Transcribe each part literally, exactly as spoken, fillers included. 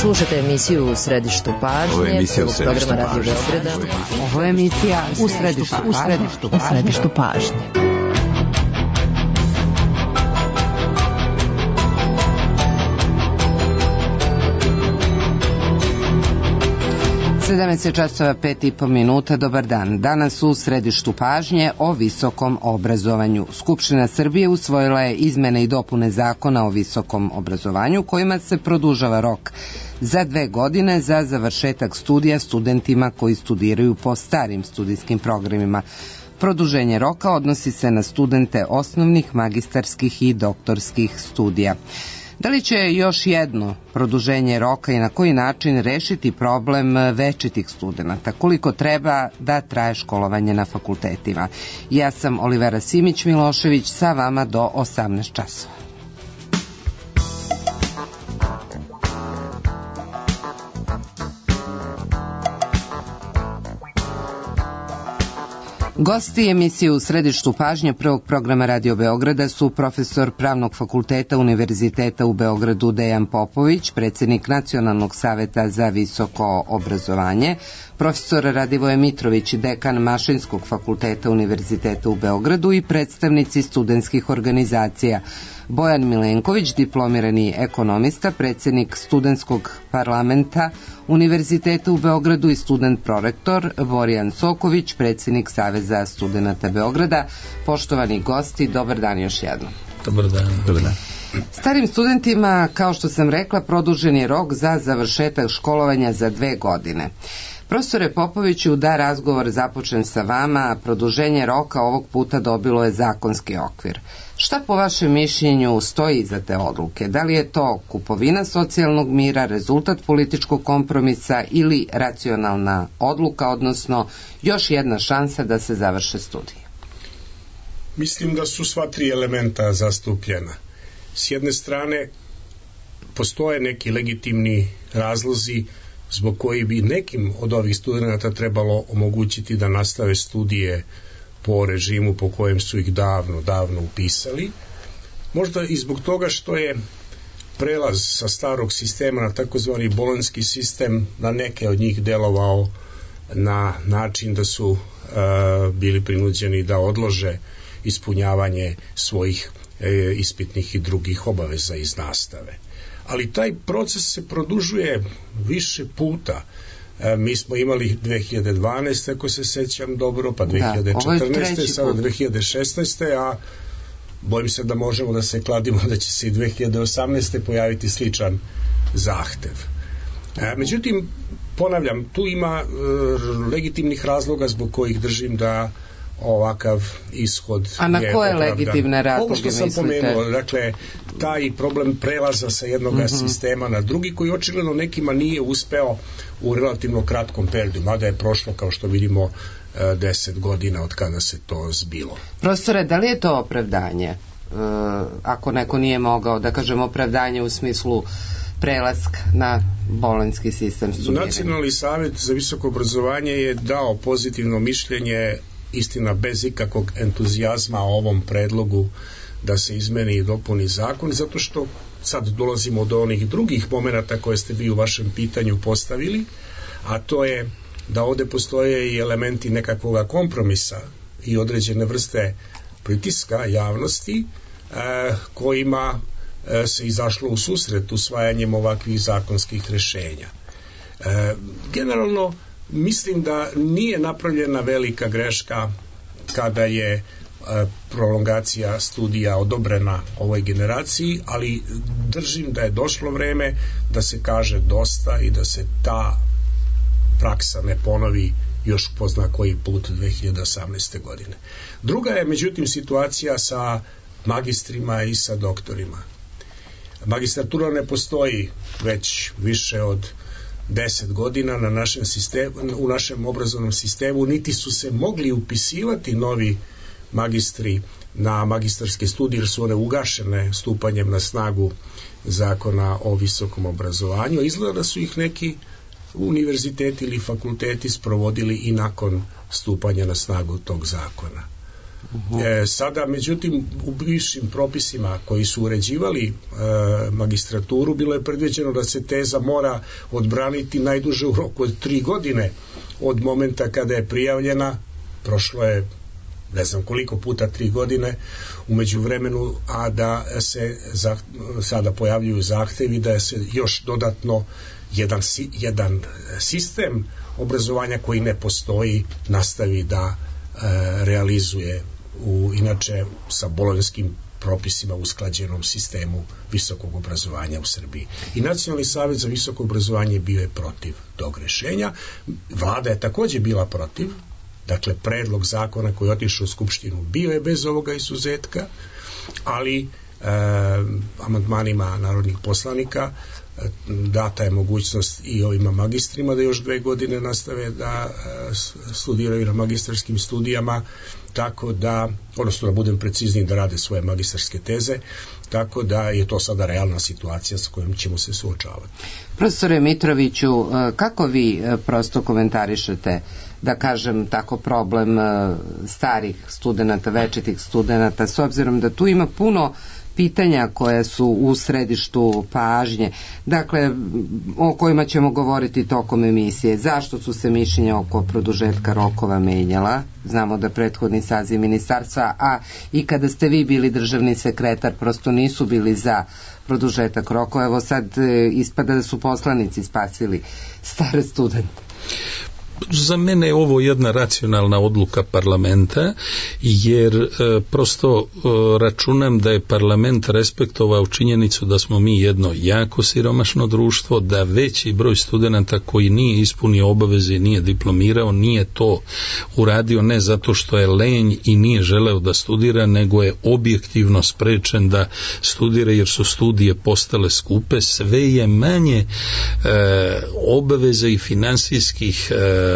Slušajte emisiju U središtu pažnje. Ovo je emisija U središtu pažnje. Ovo je emisija U središtu pažnje. U središtu pažnje. sedamnaest časova pet i po minuta, dobar dan. Danas u središtu pažnje o visokom obrazovanju. Skupština Srbije usvojila je izmene i dopune zakona o visokom obrazovanju kojima se produžava rok za dve godine za završetak studija studentima koji studiraju po starim studijskim programima. Produženje roka odnosi se na studente osnovnih, magistarskih i doktorskih studija. Da li će još jedno produženje roka i na koji način rešiti problem večitih studenata? Koliko treba da traje školovanje na fakultetima? Ja sam Olivera Simić-Milošević, sa vama do osamnaest časova. Gosti emisije U središtu pažnje prvog programa Radio Beograda su profesor Pravnog fakulteta Univerziteta u Beogradu Dejan Popović, predsjednik Nacionalnog saveta za visoko obrazovanje, profesor Radivoje Mitrović, dekan Mašinskog fakulteta Univerziteta u Beogradu i predstavnici studentskih organizacija, Bojan Milenković, diplomirani ekonomista, predsjednik Studentskog parlamenta Univerziteta u Beogradu i student prorektor, Borjan Soković, predsjednik Saveza studenata Beograda. Poštovani gosti, dobar dan još jednom. Dobar dan. Dobar dan. Starim studentima, kao što sam rekla, produžen je rok za završetak školovanja za dve godine. Profesore Popoviću, da razgovor započnem sa vama, produženje roka ovog puta dobilo je zakonski okvir. Šta po vašem mišljenju stoji iza te odluke? Da li je to kupovina socijalnog mira, rezultat političkog kompromisa ili racionalna odluka, odnosno još jedna šansa da se završe studije? Mislim da su sva tri elementa zastupljena. S jedne strane, postoje neki legitimni razlozi zbog koji bi nekim od ovih studenata trebalo omogućiti da nastave studije po režimu po kojem su ih davno, davno upisali. Možda i zbog toga što je prelaz sa starog sistema na takozvani bolonjski sistem na neke od njih delovao na način da su uh, bili prinuđeni da odlože ispunjavanje svojih e, ispitnih i drugih obaveza iz nastave. Ali taj proces se produžuje više puta. E, mi smo imali dve hiljade dvanaeste. ako se sećam dobro, pa dve hiljade četrnaeste. Da, sada dve hiljade šesnaeste. a bojim se da možemo da se kladimo da će se i dve hiljade osamnaeste. pojaviti sličan zahtev. E, međutim, ponavljam, tu ima e, legitimnih razloga zbog kojih držim da ovakav ishod je opravdan. A na koje legitimne razloge Ovo što sam mislite? pomenuo, dakle, taj problem prelaza sa jednog mm-hmm. sistema na drugi, koji očigledno nekima nije uspeo u relativno kratkom periodu, mada je prošlo, kao što vidimo, deset godina od kada se to zbilo. Profesore, da li je to opravdanje? E, ako neko nije mogao, da kažem, opravdanje u smislu prelaska na bolonjski sistem studiranja? Nacionalni savet za visoko obrazovanje je dao pozitivno mišljenje, istina bez ikakvog entuzijazma o ovom predlogu da se izmeni i dopuni zakon, zato što sad dolazimo do onih drugih momenata koje ste vi u vašem pitanju postavili, a to je da ovde postoje i elementi nekakvog kompromisa i određene vrste pritiska javnosti eh, kojima eh, se izašlo u susret usvajanjem ovakvih zakonskih rešenja. Eh, generalno mislim da nije napravljena velika greška kada je e, prolongacija studija odobrena ovoj generaciji, ali držim da je došlo vreme da se kaže dosta i da se ta praksa ne ponovi još po zna koji put dve hiljade osamnaeste. godine. Druga je međutim situacija sa magistrima i sa doktorima. Magistratura ne postoji već više od deset godina na našem sistemu, u našem obrazovnom sistemu, niti su se mogli upisivati novi magistri na magistarske studije, jer su one ugašene stupanjem na snagu zakona o visokom obrazovanju. Izgleda da su ih neki univerziteti ili fakulteti sprovodili i nakon stupanja na snagu tog zakona. E, sada, međutim, u bivšim propisima koji su uređivali e, magistraturu, bilo je predviđeno da se teza mora odbraniti najduže u roku od tri godine od momenta kada je prijavljena. Prošlo je ne znam koliko puta tri godine u međuvremenu, a da se za, sada pojavljuju zahtevi da se još dodatno jedan, jedan sistem obrazovanja koji ne postoji nastavi da e, realizuje u inače sa bolonjskim propisima usklađenom sistemu visokog obrazovanja u Srbiji. I Nacionalni savjet za visoko obrazovanje bio je protiv tog rešenja. Vlada je takođe bila protiv. Dakle, predlog zakona koji je otišao u Skupštinu bio je bez ovoga izuzetka, ali e, amandmanima narodnih poslanika e, data je mogućnost i ovima magistrima da još dve godine nastave da e, studiraju na magistarskim studijama, tako da, odnosno da budem precizniji, da rade svoje magistarske teze, tako da je to sada realna situacija sa kojom ćemo se suočavati. Profesore Mitroviću, kako vi prosto komentarišete, da kažem tako, problem starih studenta, večitih studenta, s obzirom da tu ima puno pitanja koja su u središtu pažnje, dakle, o kojima ćemo govoriti tokom emisije. Zašto su se mišljenja oko produžetka rokova menjala? Znamo da prethodni saziv ministarstva, a i kada ste vi bili državni sekretar, prosto nisu bili za produžetak rokova. Evo sad ispada da su poslanici spasili stare studente. Za mene je ovo jedna racionalna odluka parlamenta, jer e, prosto e, računam da je parlament respektovao činjenicu da smo mi jedno jako siromašno društvo, da veći broj studenata koji nije ispunio obaveze i nije diplomirao, nije to uradio ne zato što je lenj i nije želeo da studira, nego je objektivno sprečen da studira jer su studije postale skupe. Sve je manje e, obaveze i finansijskih e,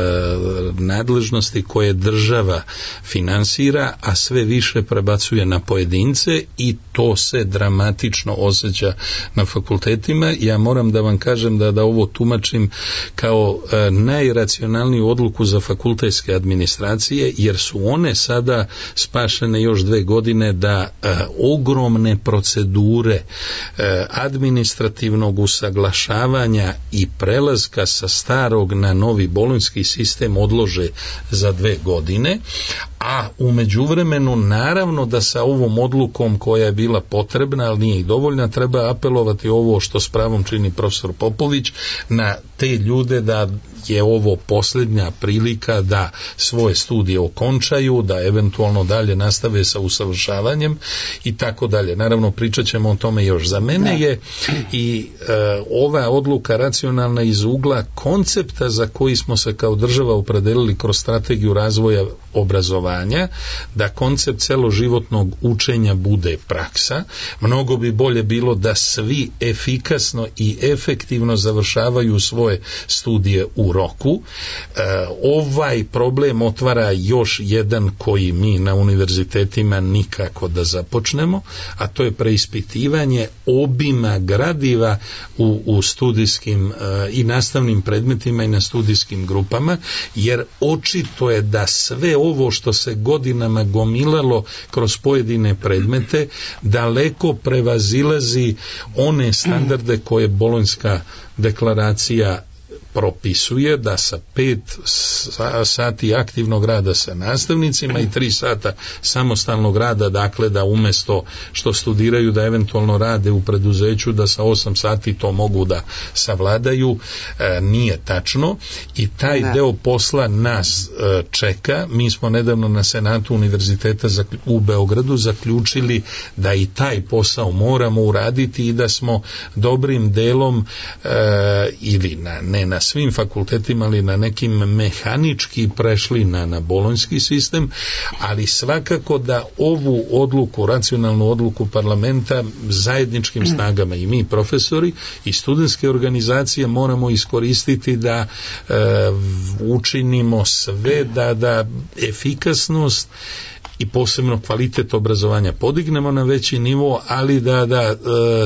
nadležnosti koje država finansira, a sve više prebacuje na pojedince i to se dramatično osjeća na fakultetima. Ja moram da vam kažem da, da ovo tumačim kao e, najracionalniju odluku za fakultetske administracije, jer su one sada spašene još dve godine da e, ogromne procedure e, administrativnog usaglašavanja i prelaska sa starog na novi bolonjski sistem odlože za dve godine, a u međuvremenu naravno da sa ovom odlukom koja je bila potrebna, ali nije i dovoljna, treba apelovati ovo što s pravom čini profesor Popović, na te ljude da je ovo posljednja prilika da svoje studije okončaju, da eventualno dalje nastave sa usavršavanjem i tako dalje. Naravno, pričat ćemo o tome još. Za mene je i e, ova odluka racionalna iz ugla koncepta za koji smo se kao država opredelili kroz strategiju razvoja obrazovanja, da koncept celoživotnog učenja bude praksa. Mnogo bi bolje bilo da svi efikasno i efektivno završavaju svoje studije u roku. E, ovaj problem otvara još jedan koji mi na univerzitetima nikako da započnemo, a to je preispitivanje obima gradiva u, u studijskim e, i nastavnim predmetima i na studijskim grupama, jer očito je da sve ovo što se godinama gomilalo kroz pojedine predmete daleko prevazilazi one standarde koje Bolonjska deklaracija propisuje, da sa pet sati aktivnog rada sa nastavnicima i tri sata samostalnog rada, dakle da umesto što studiraju da eventualno rade u preduzeću, da sa osam sati to mogu da savladaju, e, nije tačno i taj ne. deo posla nas e, čeka. Mi smo nedavno na Senatu Univerziteta u Beogradu zaključili da i taj posao moramo uraditi i da smo dobrim delom e, ili na, ne na svim fakultetima, ali na nekim mehanički prešli na, na bolonjski sistem, ali svakako da ovu odluku, racionalnu odluku parlamenta zajedničkim snagama i mi profesori i studentske organizacije moramo iskoristiti da e, učinimo sve da, da efikasnost i posebno kvalitet obrazovanja podignemo na veći nivo, ali da, da e,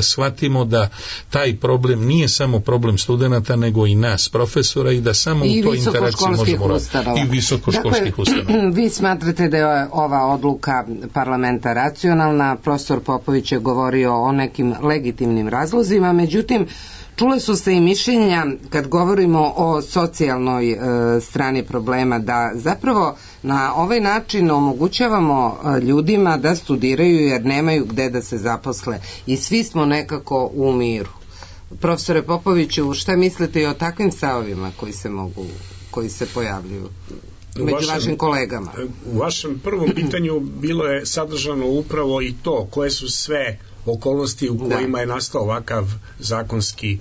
shvatimo da taj problem nije samo problem studenata, nego i nas, profesora, i da samo I u toj interakciji možemo raditi. I visokoškolskih dakle, ustanova. Vi smatrate da je ova odluka parlamenta racionalna, profesor Popović je govorio o nekim legitimnim razlozima, međutim, čule su se i mišljenja kad govorimo o socijalnoj e, strani problema, da zapravo na ovaj način omogućavamo e, ljudima da studiraju jer nemaju gde da se zaposle i svi smo nekako u miru. Profesore Popoviću, šta mislite i o takvim stavovima koji se mogu, koji se pojavljuju među vašem, vašim kolegama? U vašem prvom pitanju bilo je sadržano upravo i to koje su sve okolnosti u kojima da. je nastao ovakav zakonski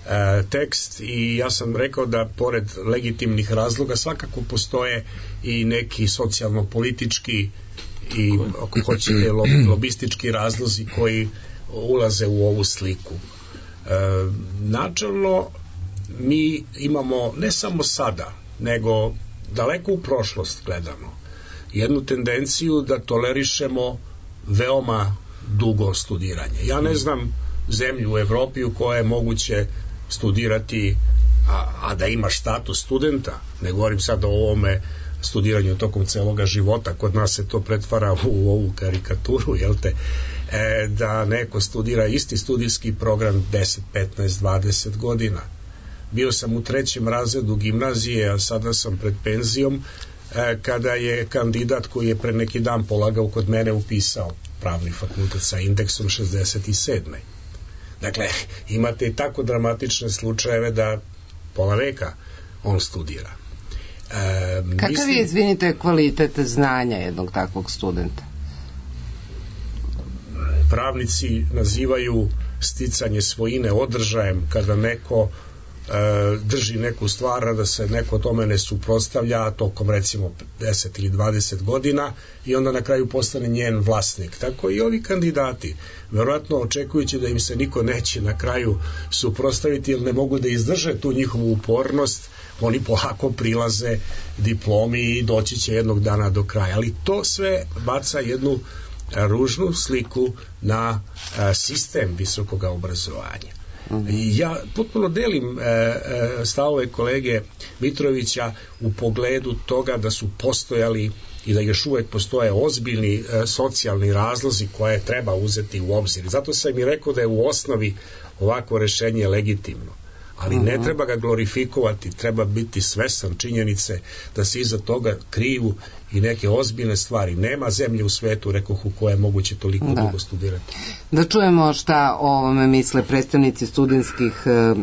e, tekst, i ja sam rekao da pored legitimnih razloga svakako postoje i neki socijalno-politički i ako hoćete lobistički razlozi koji ulaze u ovu sliku. E, načelno mi imamo ne samo sada, nego daleko u prošlost gledano jednu tendenciju da tolerišemo veoma dugo studiranje. Ja ne znam zemlju u Evropi u kojoj je moguće studirati a, a da imaš status studenta, ne govorim sad o ovome studiranju tokom celoga života, kod nas se to pretvara u ovu karikaturu, jel te, e, da neko studira isti studijski program deset, petnaest, dvadeset godina. Bio sam u trećem razredu gimnazije, a sada sam pred penzijom, e, kada je kandidat koji je pre neki dan polagao kod mene upisao pravni fakultet sa indeksom šezdeset sedam. Dakle, imate i tako dramatične slučajeve da pola veka on studira. E, Kakav mislim, je, izvinite, kvalitet znanja jednog takvog studenta? Pravnici nazivaju sticanje svojine održajem kada neko drži neku stvar, da se neko tome ne suprotstavlja tokom recimo deset ili dvadeset godina i onda na kraju postane njen vlasnik. Tako i ovi kandidati, verovatno očekujući da im se niko neće na kraju suprotstaviti jer ne mogu da izdrže tu njihovu upornost, oni polako prilaze diplomi i doći će jednog dana do kraja. Ali to sve baca jednu ružnu sliku na sistem visokog obrazovanja. I ja potpuno delim e, e, stavove kolege Mitrovića u pogledu toga da su postojali i da još uvek postoje ozbiljni e, socijalni razlozi koje treba uzeti u obzir. Zato sam i rekao da je u osnovi ovako rešenje legitimno. Ali uh-huh. ne treba ga glorifikovati, treba biti svestan činjenice da se iza toga kriju i neke ozbiljne stvari. Nema zemlje u svetu, rekoh, u koje je moguće toliko da. dugo studirati. Da čujemo šta o ovome misle predstavnici studentskih e, e,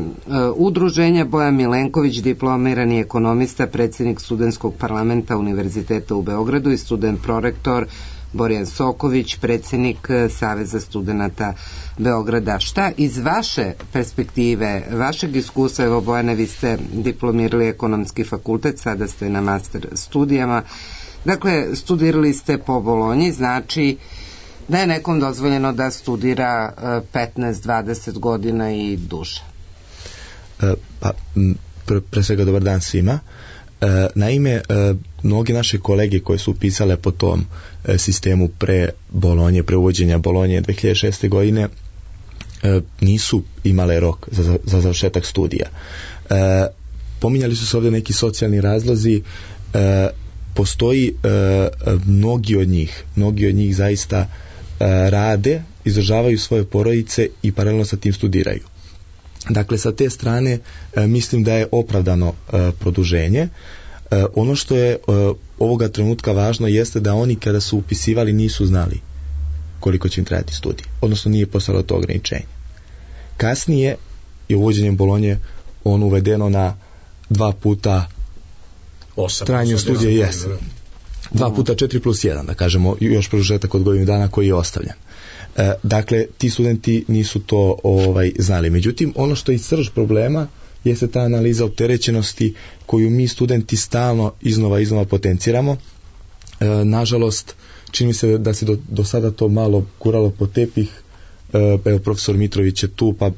udruženja. Bojan Milenković, diplomirani ekonomista, predsjednik studentskog parlamenta Univerziteta u Beogradu, i student prorektor Borjan Soković, predsjednik Saveza studenata Beograda. Šta iz vaše perspektive, vašeg iskustva, evo Bojane, vi ste diplomirali ekonomski fakultet, sada ste na master studijama, dakle studirali ste po Bolonji, znači da je nekom dozvoljeno da studira petnaest dvadeset godina i duže? E, pa, pre, pre svega dobar dan svima. E, naime, e, mnogi naše kolege koje su upisale po tom e, sistemu pre Bolonje, pre uvođenja Bolonje dve hiljade šeste godine, e, nisu imale rok za, za završetak studija. E, pominjali su se ovdje neki socijalni razlozi. E, postoji e, mnogi od njih, mnogi od njih zaista e, rade, izdržavaju svoje porodice i paralelno sa tim studiraju. Dakle, sa te strane e, mislim da je opravdano e, produženje. E, ono što je e, ovoga trenutka važno jeste da oni kada su upisivali nisu znali koliko će im trajati studij, odnosno nije postalo to ograničenje. Kasnije je uvođenjem Bolonje on uvedeno na dva puta trajanje studija, jes. Dva puta četiri plus jedan, da kažemo, još produžetak od godinu dana koji je ostavljen. E, dakle, ti studenti nisu to ovaj, znali. Međutim, ono što je srž problema jeste ta analiza opterećenosti koju mi studenti stalno iznova iznova potenciramo. E, nažalost, čini mi se da se do, do sada to malo kuralo po tepih, evo profesor Mitrović je tu, pa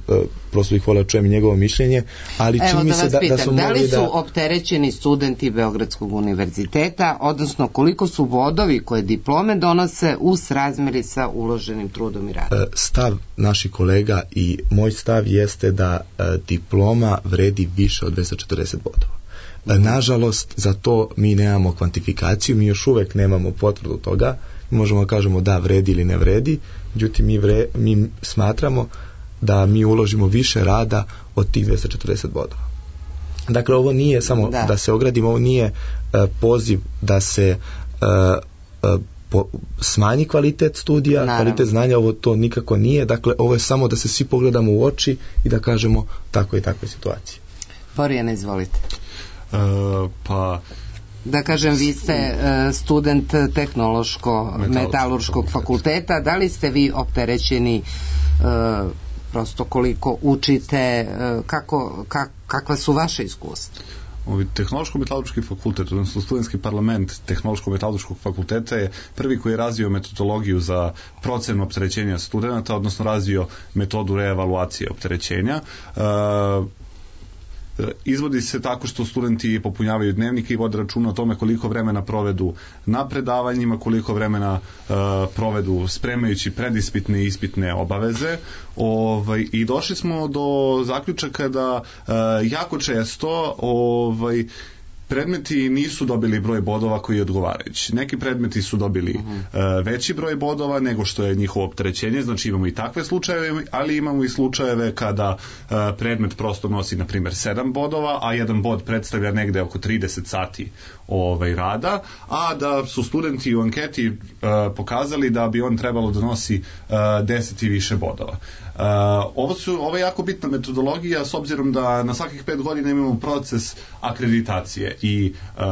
prosto bih volio čujem njegovo mišljenje, ali čini mi se da, pitam, da su da li su da... opterećeni studenti Beogradskog univerziteta, odnosno koliko su bodovi koje diplome donose u srazmeri sa uloženim trudom i radom? Stav naših kolega i moj stav jeste da diploma vredi više od dvesta četrdeset bodova. Nažalost, za to mi nemamo kvantifikaciju, mi još uvek nemamo potvrdu toga, mi možemo da kažemo da vredi ili ne vredi, međutim mi, vre, mi smatramo da mi uložimo više rada od tih dvesta četrdeset bodova. Dakle, ovo nije samo da, da se ogradimo, ovo nije uh, poziv da se uh, uh, po, smanji kvalitet studija, Naravno. kvalitet znanja, ovo to nikako nije, dakle, ovo je samo da se svi pogledamo u oči i da kažemo tako i takve situacije. Borijane, izvolite. Uh, pa da kažem, vi ste uh, student tehnološko-metalurškog fakulteta, da li ste vi opterećeni uh, prosto koliko učite, uh, kako, kak, kakva su vaše iskustva? Ovi tehnološko-metalurški fakultet, odnosno studentski parlament tehnološko-metalurškog fakulteta je prvi koji je razvio metodologiju za procenu opterećenja studenta, odnosno razvio metodu reevaluacije opterećenja. Uh, Izvodi se tako što studenti popunjavaju dnevnike i vode računa o tome koliko vremena provedu na predavanjima, koliko vremena uh, provedu spremajući predispitne i ispitne obaveze. Ovaj, i došli smo do zaključaka da uh, jako često ovaj, predmeti nisu dobili broj bodova koji je odgovarajući. Neki predmeti su dobili uh-huh. uh, veći broj bodova nego što je njihovo opterećenje, znači imamo i takve slučajeve, ali imamo i slučajeve kada uh, predmet prosto nosi, na primjer, sedam bodova, a jedan bod predstavlja negde oko trideset sati ovaj, rada, a da su studenti u anketi uh, pokazali da bi on trebalo da nosi uh, deset i više bodova. Uh, ovo, su, ovo je jako bitna metodologija s obzirom da na svakih pet godina imamo proces akreditacije i uh,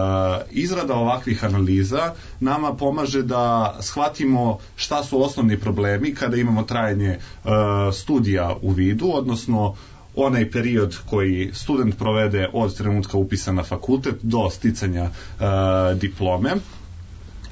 izrada ovakvih analiza nama pomaže da shvatimo šta su osnovni problemi kada imamo trajanje uh, studija u vidu, odnosno onaj period koji student provede od trenutka upisa na fakultet do sticanja uh, diplome.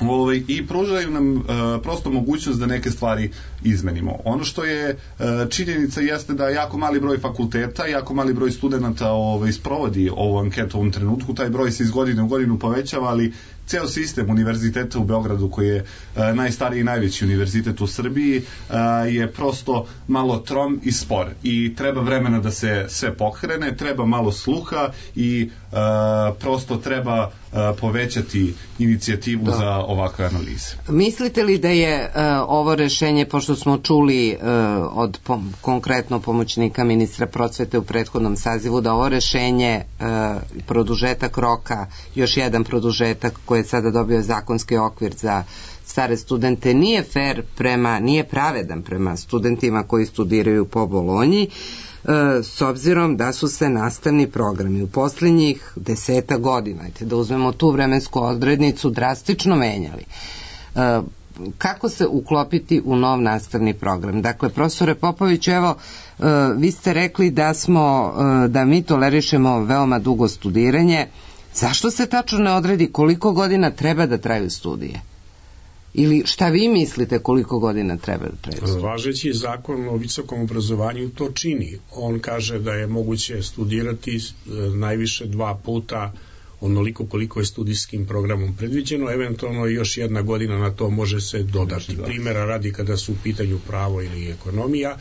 Ovaj, i pružaju nam uh, prosto mogućnost da neke stvari izmenimo. Ono što je uh, činjenica jeste da jako mali broj fakulteta, jako mali broj studenta ovaj, sprovodi ovu anketu u ovom trenutku, taj broj se iz godine u godinu povećava, ali ceo sistem univerziteta u Beogradu, koji je uh, najstariji i najveći univerzitet u Srbiji, uh, je prosto malo trom i spor i treba vremena da se sve pokrene, treba malo sluha i uh, prosto treba uh, povećati inicijativu da. za ovakve analize. Mislite li da je uh, ovo rešenje, pošto smo čuli uh, od pom- konkretno pomoćnika ministra prosvete u prethodnom sazivu, da ovo rešenje uh, produžetak roka, još jedan produžetak koji je sada dobio zakonski okvir za stare studente, nije fair prema, nije pravedan prema studentima koji studiraju po Bolonji, s obzirom da su se nastavni programi u posljednjih deseta godina, da uzmemo tu vremensku odrednicu, drastično menjali. Kako se uklopiti u nov nastavni program? Dakle, profesore Popović, evo, vi ste rekli da smo, da mi tolerišemo veoma dugo studiranje. Zašto se tačno ne odredi koliko godina treba da traju studije? Ili šta vi mislite koliko godina treba da traju studije? Važeći zakon o visokom obrazovanju to čini. On kaže da je moguće studirati najviše dva puta onoliko koliko je studijskim programom predviđeno, eventualno još jedna godina na to može se dodati. Primjera radi kada su u pitanju pravo ili ekonomija,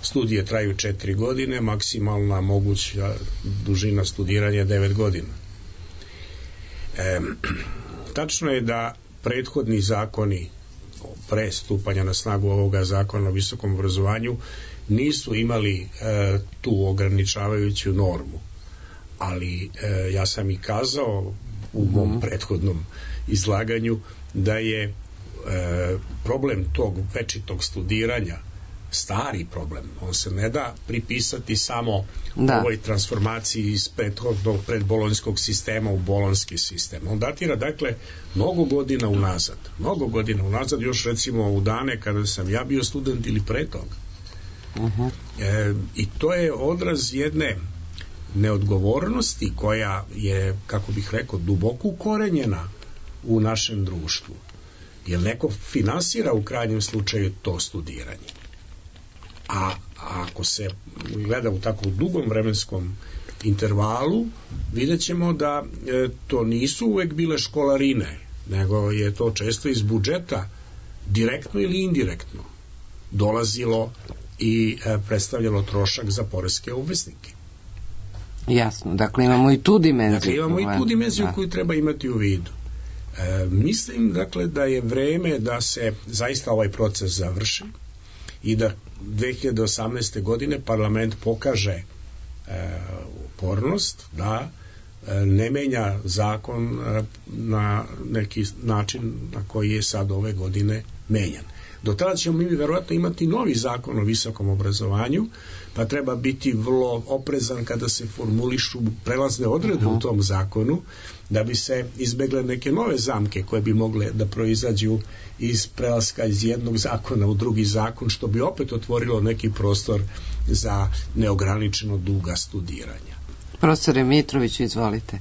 studije traju četiri godine, maksimalna moguća dužina studiranja je devet godina. E, tačno je da prethodni zakoni pre stupanja na snagu ovoga zakona o visokom obrazovanju nisu imali e, tu ograničavajuću normu, ali e, ja sam i kazao u mom prethodnom izlaganju da je e, problem tog večitog studiranja stari problem, on se ne da pripisati samo da. ovoj transformaciji iz prethodnog predbolonjskog sistema u bolonjski sistem. On datira, dakle, mnogo godina unazad. Mnogo godina unazad, još recimo u dane kada sam ja bio student ili pre toga. Uh-huh. E, I to je odraz jedne neodgovornosti koja je, kako bih rekao, duboko ukorenjena u našem društvu. Jer neko finansira u krajnjem slučaju to studiranje. A ako se gleda u tako dugom vremenskom intervalu, vidjet ćemo da e, to nisu uvek bile školarine, nego je to često iz budžeta direktno ili indirektno dolazilo i e, predstavljalo trošak za poreske obveznike. Jasno, dakle imamo i tu dimenziju. Dakle imamo i tu dimenziju da. koju treba imati u vidu. E, mislim dakle da je vreme da se zaista ovaj proces završi i da dve hiljade osamnaeste. godine parlament pokaže e, upornost da e, ne menja zakon e, na neki način na koji je sad ove godine menjan. Do tada ćemo mi verovatno imati novi zakon o visokom obrazovanju, pa treba biti vrlo oprezan kada se formulišu prelazne odredbe uh-huh. u tom zakonu, da bi se izbegle neke nove zamke koje bi mogle da proizađu iz prelaska iz jednog zakona u drugi zakon, što bi opet otvorilo neki prostor za neograničeno duga studiranja. Profesore Mitrović, izvolite.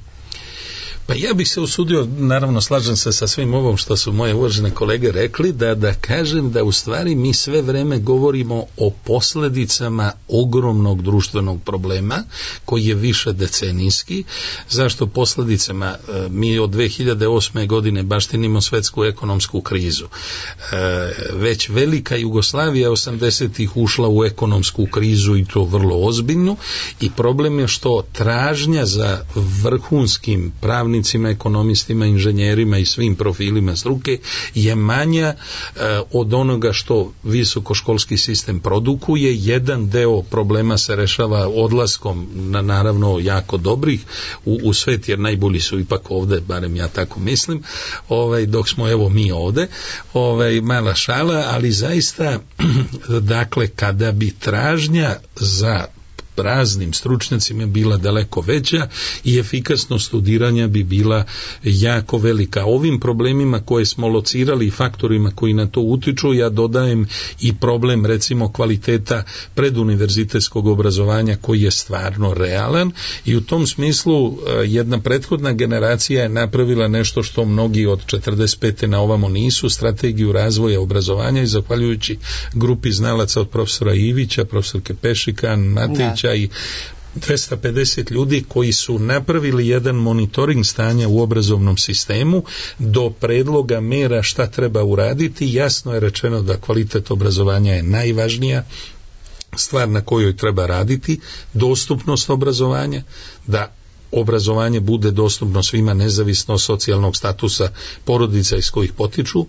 Pa ja bih se usudio, naravno slažem se sa svim ovom što su moje uvažene kolege rekli, da, da kažem da u stvari mi sve vreme govorimo o posledicama ogromnog društvenog problema koji je više decenijski. Zašto posledicama? Mi od dve hiljade osme. godine baštinimo svetsku ekonomsku krizu. Već velika Jugoslavija osamdesetih ušla u ekonomsku krizu i to vrlo ozbiljnu, i problem je što tražnja za vrhunskim pravnim ekonomistima, inženjerima i svim profilima struke je manja e, od onoga što visokoškolski sistem produkuje. Jedan deo problema se rešava odlaskom na naravno jako dobrih u, u svet, jer najbolji su ipak ovde, barem ja tako mislim, ovaj, dok smo evo mi ovde, ovaj, mala šala, ali zaista dakle kada bi tražnja za raznim stručnjacima bila daleko veća i efikasnost studiranja bi bila jako velika. Ovim problemima koje smo locirali i faktorima koji na to utiču, ja dodajem i problem recimo kvaliteta preduniverzitetskog obrazovanja koji je stvarno realan, i u tom smislu jedna prethodna generacija je napravila nešto što mnogi od četrdeset pete na ovamo nisu, strategiju razvoja obrazovanja, i zahvaljujući grupi znalaca od profesora Ivića, profesorke Pešika, Matića i dvesta pedeset ljudi koji su napravili jedan monitoring stanja u obrazovnom sistemu do predloga mera šta treba uraditi. Jasno je rečeno da kvalitet obrazovanja je najvažnija stvar na kojoj treba raditi, dostupnost obrazovanja, da obrazovanje bude dostupno svima nezavisno od socijalnog statusa porodica iz kojih potiču,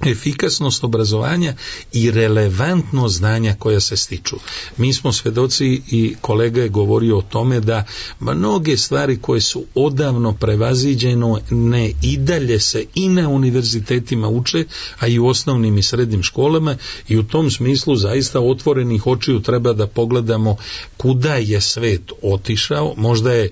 efikasnost obrazovanja i relevantnost znanja koja se stiču. Mi smo svedoci, i kolega je govorio o tome, da mnoge stvari koje su odavno prevaziđeno ne i dalje se i na univerzitetima uče, a i u osnovnim i srednjim školama, i u tom smislu zaista otvorenih očiju treba da pogledamo kuda je svet otišao. Možda je e,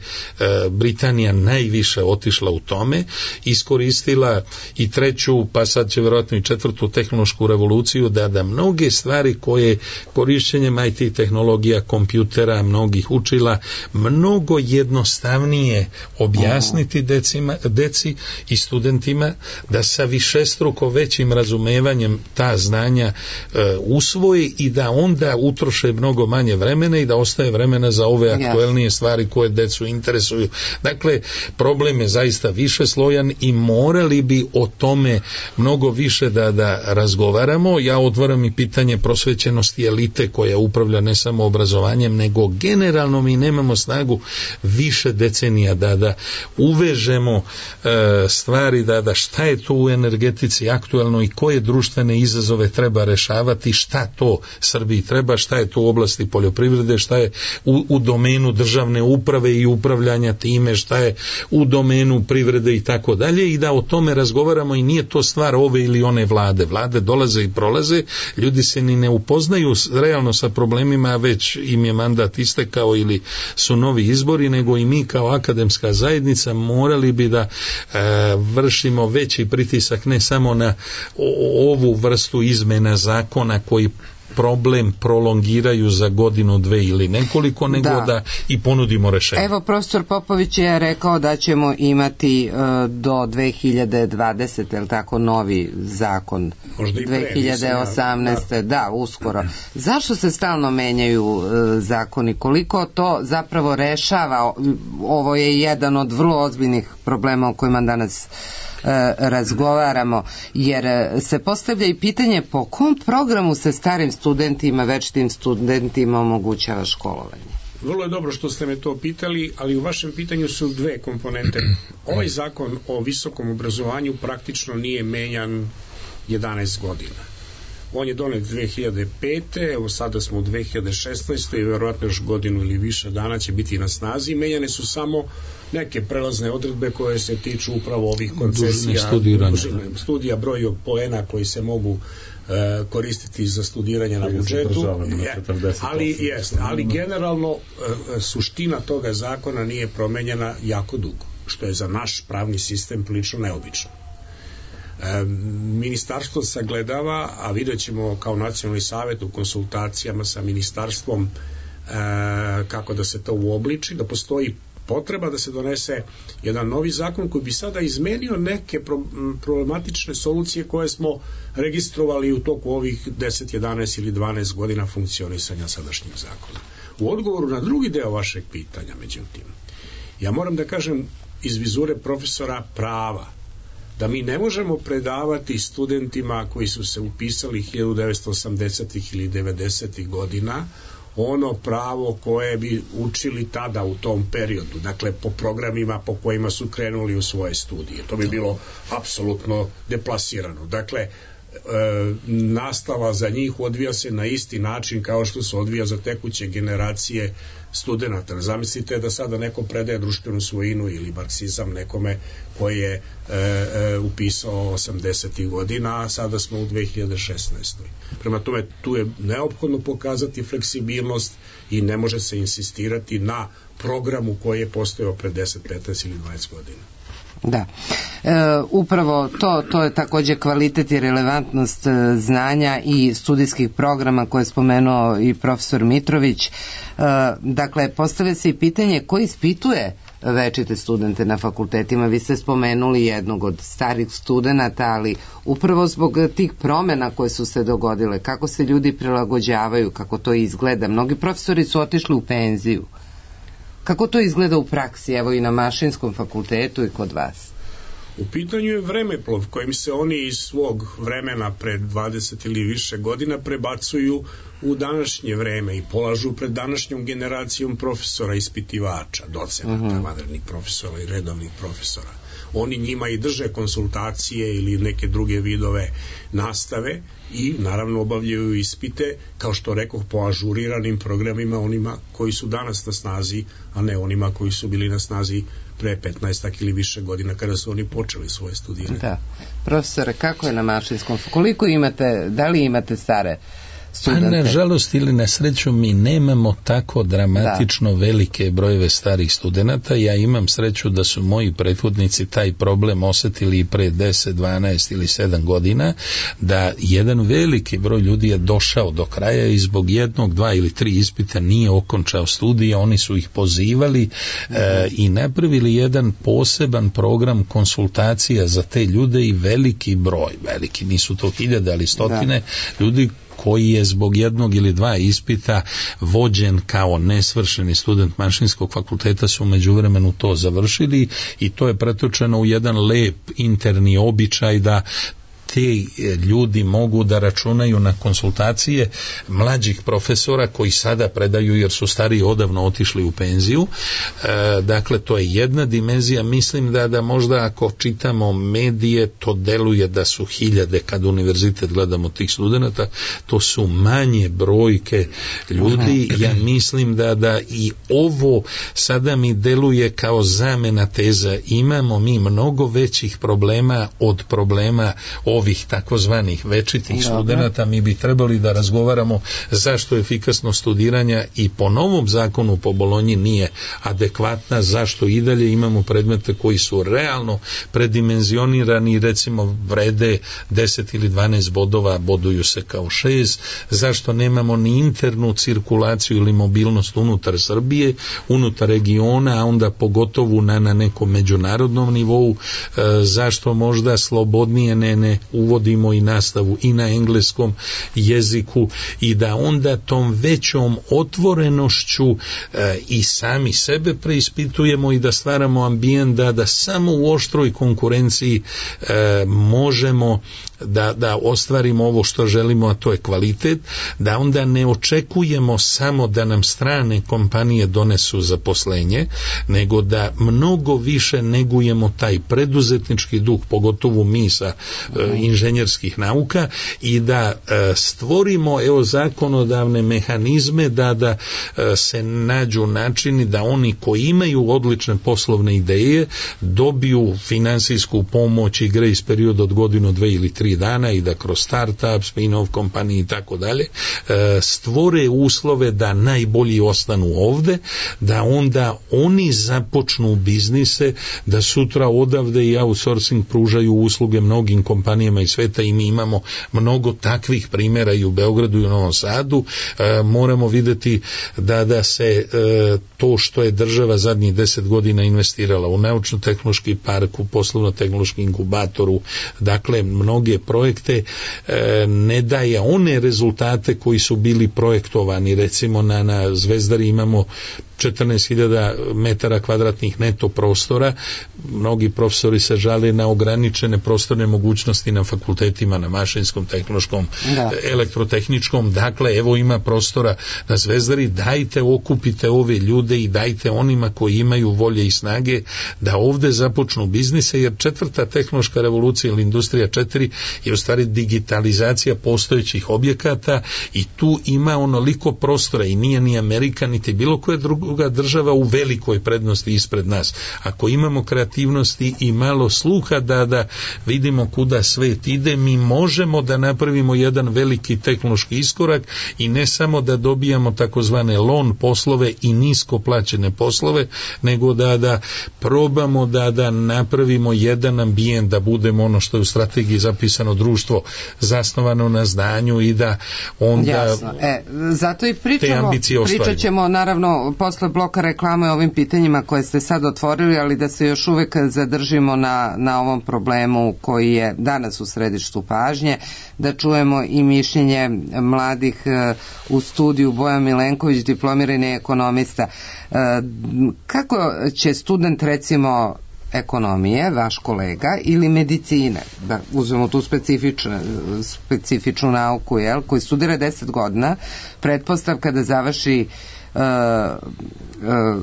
Britanija najviše otišla u tome, iskoristila i treću, pa sad će vjerojatno i četvrtu tehnološku revoluciju, da da mnoge stvari koje korišćenjem I T tehnologija, kompjutera, mnogih učila, mnogo jednostavnije objasniti decima, deci i studentima, da sa višestruko većim razumevanjem ta znanja e, usvoje i da onda utroše mnogo manje vremena i da ostaje vremena za ove aktuelnije stvari koje decu interesuju. Dakle, problem je zaista više slojan i morali bi o tome mnogo više da, da razgovaramo. Ja otvaram i pitanje prosvećenosti elite koja upravlja ne samo obrazovanjem, nego generalno mi nemamo snagu više decenija da, da uvežemo e, stvari, da, da šta je to u energetici aktuelno i koje društvene izazove treba rešavati, šta to Srbiji treba, šta je to u oblasti poljoprivrede, šta je u, u domenu državne uprave i upravljanja time, šta je u domenu privrede i tako dalje, i da o tome razgovaramo. I nije to stvar ove ili one vlade. Vlade dolaze i prolaze, ljudi se ni ne upoznaju realno sa problemima, već im je mandat istekao ili su novi izbori, nego i mi kao akademska zajednica morali bi da e, vršimo veći pritisak ne samo na o, ovu vrstu izmena zakona koji problem prolongiraju za godinu, dve ili nekoliko, nego da, da i ponudimo rešenje. Evo, profesor Popović je rekao da ćemo imati uh, do dve hiljade dvadesete, je li tako, novi zakon? Možda i pre, dve hiljade osamnaeste. Da, da, uskoro. Zašto se stalno menjaju uh, zakoni? Koliko to zapravo rešava? Ovo je jedan od vrlo ozbiljnih problema o kojima danas razgovaramo, jer se postavlja i pitanje po kom programu se starim studentima, večitim studentima omogućava školovanje. Vrlo je dobro što ste me to pitali, ali u vašem pitanju su dve komponente. Ovaj zakon o visokom obrazovanju praktično nije menjan jedanaest godina. On je donet dve hiljade pete. Evo sada smo u dve hiljade šesnaestoj i verovatno još godinu ili više dana će biti na snazi. Menjane su samo neke prelazne odredbe koje se tiču upravo ovih koncesija, studija, broj poena koji se mogu e, koristiti za studiranje na budžetu. Je, ali, jest, ali generalno e, suština toga zakona nije promenjena jako dugo, što je za naš pravni sistem prilično neobično. E, ministarstvo sagledava, a vidjet ćemo kao nacionalni savjet u konsultacijama sa ministarstvom e, kako da se to uobliči, da postoji potreba da se donese jedan novi zakon koji bi sada izmenio neke pro, problematične solucije koje smo registrovali u toku ovih deset, jedanaest ili dvanaest godina funkcionisanja sadašnjeg zakona. U odgovoru na drugi deo vašeg pitanja, međutim, ja moram da kažem iz vizure profesora prava da mi ne možemo predavati studentima koji su se upisali hiljadu devetsto osamdesetih ili devedesetih godina ono pravo koje bi učili tada u tom periodu, dakle po programima po kojima su krenuli u svoje studije. To bi bilo apsolutno deplasirano. Dakle, e, nastava za njih odvija se na isti način kao što se odvija za tekuće generacije studenata. Zamislite da sada neko predaje društvenu svojinu ili marksizam nekome koji je e, e, upisao osamdesetih godina, a sada smo u dve hiljade šesnaestoj. Prema tome, tu je neophodno pokazati fleksibilnost i ne može se insistirati na programu koji je postojao pre deset, petnaest ili dvadeset godina. Da, e, upravo to, to je također kvalitet i relevantnost e, znanja i studijskih programa koje je spomenuo i profesor Mitrović. E, dakle, postavlja se i pitanje ko ispituje večite studente na fakultetima. Vi ste spomenuli jednog od starih studenata, ali upravo zbog tih promjena koje su se dogodile, kako se ljudi prilagođavaju, kako to izgleda. Mnogi profesori su otišli u penziju. Kako to izgleda u praksi, evo i na Mašinskom fakultetu i kod vas? U pitanju je vremeplov kojim se oni iz svog vremena pred dvadeset ili više godina prebacuju u današnje vreme i polažu pred današnjom generacijom profesora, ispitivača, docenata, uh-huh. vanrednih profesora i redovnih profesora. Oni njima i drže konsultacije ili neke druge vidove nastave i naravno obavljaju ispite, kao što rekoh, po ažuriranim programima onima koji su danas na snazi, a ne onima koji su bili na snazi pre petnaest ili više godina kada su oni počeli svoje studiranje. Da. Profesore, kako je na Mašinskom? Koliko imate, da li imate stare studente? A nažalost ili na sreću mi nemamo tako dramatično da. velike brojeve starih studenata. Ja imam sreću da su moji prethodnici taj problem osetili i pre deset, dvanaest ili sedam godina, da jedan veliki broj ljudi je došao do kraja i zbog jednog, dva ili tri ispita nije okončao studije, oni su ih pozivali mm-hmm. e, i napravili jedan poseban program konsultacija za te ljude i veliki broj, veliki, nisu to hiljade, ali stotine da. ljudi koji je zbog jednog ili dva ispita vođen kao nesvršeni student Mašinskog fakulteta su u međuvremenu to završili i to je pretočeno u jedan lep interni običaj da te ljudi mogu da računaju na konsultacije mlađih profesora koji sada predaju jer su stariji odavno otišli u penziju. E, dakle, to je jedna dimenzija. Mislim da, da možda ako čitamo medije, to deluje da su hiljade kad univerzitet gledamo tih studenta, to su manje brojke ljudi. Ja mislim da, da i ovo sada mi deluje kao zamena teza. Imamo mi mnogo većih problema od problema ovih takozvanih večitih studenata, mi bi trebali da razgovaramo zašto efikasnost studiranja i po novom zakonu po Bolonji nije adekvatna, zašto i dalje imamo predmete koji su realno predimenzionirani, recimo vrede deset ili dvanaest bodova, boduju se kao šest, zašto nemamo ni internu cirkulaciju ili mobilnost unutar Srbije, unutar regiona, a onda pogotovo na, na nekom međunarodnom nivou, e, zašto možda slobodnije ne, ne uvodimo i nastavu i na engleskom jeziku i da onda tom većom otvorenošću e, i sami sebe preispitujemo i da stvaramo ambijent da, da samo u oštroj konkurenciji e, možemo da, da ostvarimo ovo što želimo, a to je kvalitet, da onda ne očekujemo samo da nam strane kompanije donesu zaposlenje, nego da mnogo više negujemo taj preduzetnički duh, pogotovo mi sa e, inženjerskih nauka i da e, stvorimo evo zakonodavne mehanizme da, da e, se nađu načini da oni koji imaju odlične poslovne ideje dobiju finansijsku pomoć i grace period od godinu, dve ili tri dana i da kroz startup, spin-off kompanije i tako dalje stvore uslove da najbolji ostanu ovde, da onda oni započnu biznise, da sutra odavde i outsourcing pružaju usluge mnogim kompanijama iz sveta i mi imamo mnogo takvih primjera i u Beogradu i u Novom Sadu. E, moramo videti da, da se e, to što je država zadnjih deset godina investirala u naučno-tehnološki park, u poslovno-tehnološki inkubatoru, dakle mnoge projekte e, ne daje one rezultate koji su bili projektovani. Recimo na, na Zvezdari imamo četrnaest hiljada metara kvadratnih neto prostora. Mnogi profesori se žale na ograničene prostorne mogućnosti na fakultetima, na mašinskom, tehnološkom, da. elektrotehničkom. Dakle, evo ima prostora na Zvezdari, dajte, okupite ove ljude i dajte onima koji imaju volje i snage da ovde započnu biznise, jer četvrta tehnološka revolucija ili industrija četiri je u stvari digitalizacija postojećih objekata i tu ima onoliko prostora i nije ni Amerika, niti bilo koja druga država u velikoj prednosti ispred nas. Ako imamo kreativnosti i malo sluha da, da vidimo kuda svet ide, mi možemo da napravimo jedan veliki tehnološki iskorak i ne samo da dobijamo takozvane loan poslove i nisko plaćene poslove, nego da, da probamo da, da napravimo jedan ambijent, da budemo ono što je u strategiji zapisano, društvo zasnovano na znanju i da onda Jasno. E, zato i pričamo, pričat ćemo naravno posle bloka reklame o ovim pitanjima koje ste sad otvorili, ali da se još uvek zadržimo na, na ovom problemu koji je danas u središtu pažnje, da čujemo i mišljenje mladih u studiju. Bojan Milenković, diplomirani ekonomista. Kako će student recimo ekonomije, vaš kolega, ili medicine, da uzmemo tu specifičnu, specifičnu nauku, jel, koji studira deset godina, pretpostavka da završi uh, uh,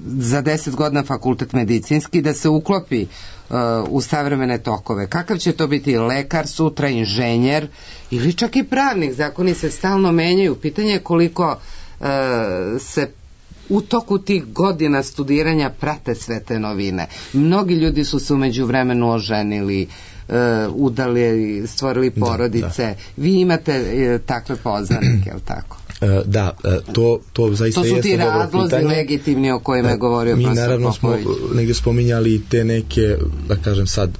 za deset godina fakultet medicinski, da se uklopi uh, u savremene tokove. Kakav će to biti lekar, sutra inženjer ili čak i pravnik? Zakoni se stalno menjaju. Pitanje je koliko uh, se u toku tih godina studiranja prate sve te novine. Mnogi ljudi su se umeđu vremenu oženili, uh, udali, stvorili porodice. Da, da. Vi imate uh, takve poznanike, je li tako? Da, to, to zaista to su jeste dobro pitanje. To su ti razlozi legitimni o kojima je govorio mi profesor naravno Popović. Smo negdje spominjali te neke, da kažem sad,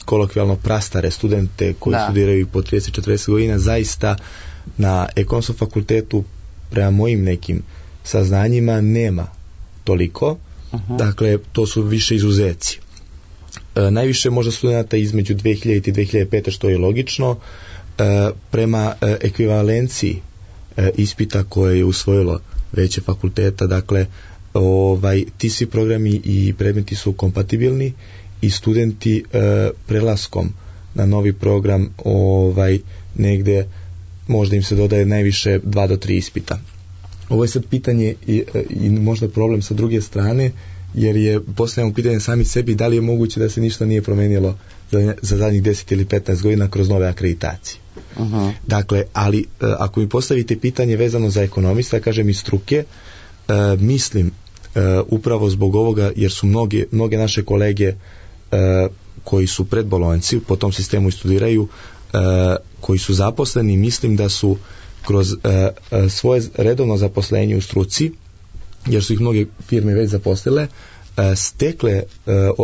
kolokvijalno prastare studente koji da. studiraju po trideset četrdeset godina. Zaista na ekonomskom fakultetu prema mojim nekim saznanjima nema toliko. Uh-huh. Dakle, to su više izuzeci. E, najviše možda studenta između dve hiljadite i dve hiljade pete, što je logično. E, prema e, ekvivalenciji e, ispita koje je usvojilo veće fakulteta, dakle, ovaj, ti svi programi i predmeti su kompatibilni i studenti e, prelaskom na novi program ovaj, negde možda im se dodaje najviše dva do tri ispita. Ovo je sad pitanje i, i možda problem sa druge strane, jer je postavljamo pitanje sami sebi da li je moguće da se ništa nije promenilo za, za zadnjih deset ili petnaest godina kroz nove akreditacije. Uh-huh. Dakle, ali ako mi postavite pitanje vezano za ekonomista, kažem iz struke, uh, mislim uh, upravo zbog ovoga, jer su mnoge, mnoge naše kolege uh, koji su predbolonjci, po tom sistemu i studiraju, e, koji su zaposleni, mislim da su kroz e, e, svoje redovno zaposlenje u struci, jer su ih mnoge firme već zaposlile, e, stekle e,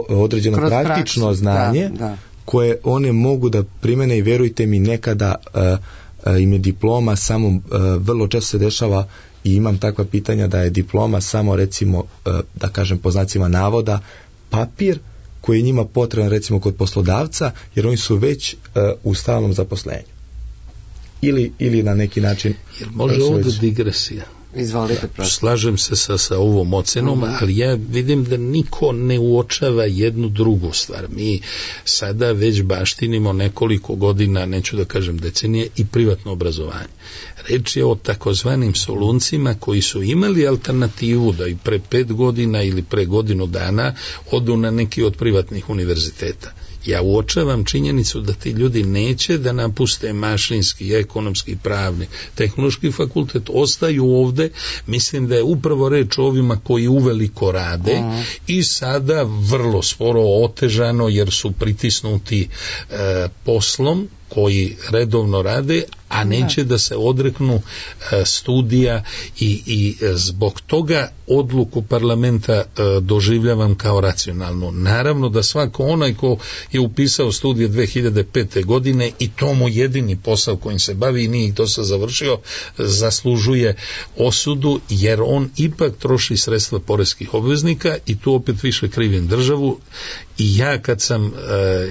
određeno kroz praktično praksu, znanje da, da. koje one mogu da primene i vjerujte mi nekada e, e, im je diploma samo, e, vrlo često se dešava i imam takva pitanja da je diploma samo recimo, e, da kažem po znacima navoda, papir koji je njima potreban recimo kod poslodavca, jer oni su već uh, u stalnom zaposlenju. Ili, ili na neki način... Jer može ovdje već... digresija. Izvolite, prosto. Slažem se sa, sa ovom ocenom, mm-hmm. ali ja vidim da niko ne uočava jednu drugu stvar. Mi sada već baštinimo nekoliko godina, neću da kažem decenije, i privatno obrazovanje. Reč je o takozvanim soluncima koji su imali alternativu da i pre pet godina ili pre godinu dana odu na neki od privatnih univerziteta. Ja uočavam činjenicu da ti ljudi neće da napuste mašinski, ekonomski, pravni, tehnološki fakultet, ostaju ovde. Mislim da je upravo reč o ovima koji uveliko rade uh-huh. i sada vrlo sporo otežano jer su pritisnuti e, poslom koji redovno rade, a neće da se odreknu e, studija i, i zbog toga odluku parlamenta e, doživljavam kao racionalnu. Naravno da svako onaj ko je upisao studije dve hiljade pete. godine i to mu jedini posao kojim se bavi i nije ih to se završio, zaslužuje osudu jer on ipak troši sredstva poreskih obveznika i tu opet više krivim državu. I ja kad sam e,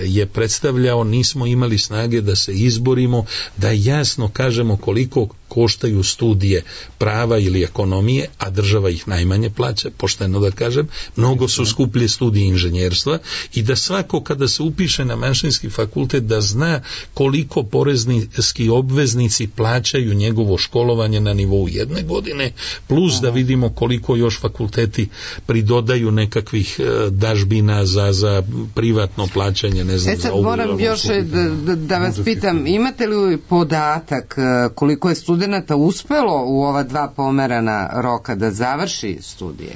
je predstavljao nismo imali snage da se izborimo, da jasno kažemo koliko koštaju studije prava ili ekonomije, a država ih najmanje plaća, pošteno da kažem, mnogo su skuplje studije inženjerstva i da svako kada se upiše na mašinski fakultet da zna koliko porezniski obveznici plaćaju njegovo školovanje na nivou jedne godine, plus da vidimo koliko još fakulteti pridodaju nekakvih dažbina za, za privatno plaćanje, ne znam. E sad moram još da, da, da vas pitam, imate li podatak koliko je studenata uspelo u ova dva pomerana roka da završi studije?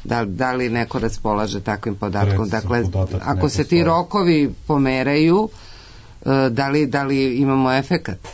Da, da li neko raspolaže takvim podatkom? Dakle, ako se ti rokovi pomeraju, da li, da li imamo efekat?